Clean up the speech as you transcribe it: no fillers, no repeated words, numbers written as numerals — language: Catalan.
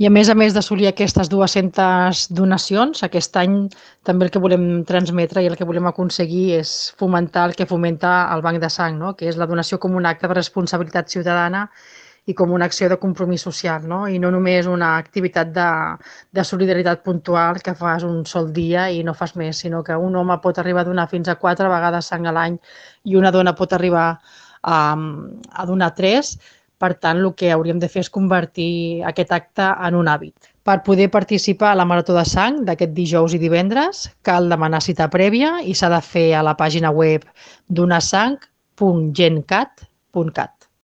I a més d'assolir aquestes 200 donacions, aquest any també el que volem transmetre i el que volem aconseguir és fomentar el que fomenta el Banc de Sang, no? Que és la donació com un acte de responsabilitat ciutadana i com una acció de compromís social, no? I no només una activitat de solidaritat puntual que fas un sol dia i no fas més, sinó que un home pot arribar a donar fins a 4 vegades sang a l'any i una dona pot arribar a donar 3. Per tant, el que hauríem de fer és convertir aquest acte en un hàbit. Per poder participar a la Marató de Sang d'aquest dijous i divendres, cal demanar cita prèvia i s'ha de fer a la pàgina web donasang.gencat.cat.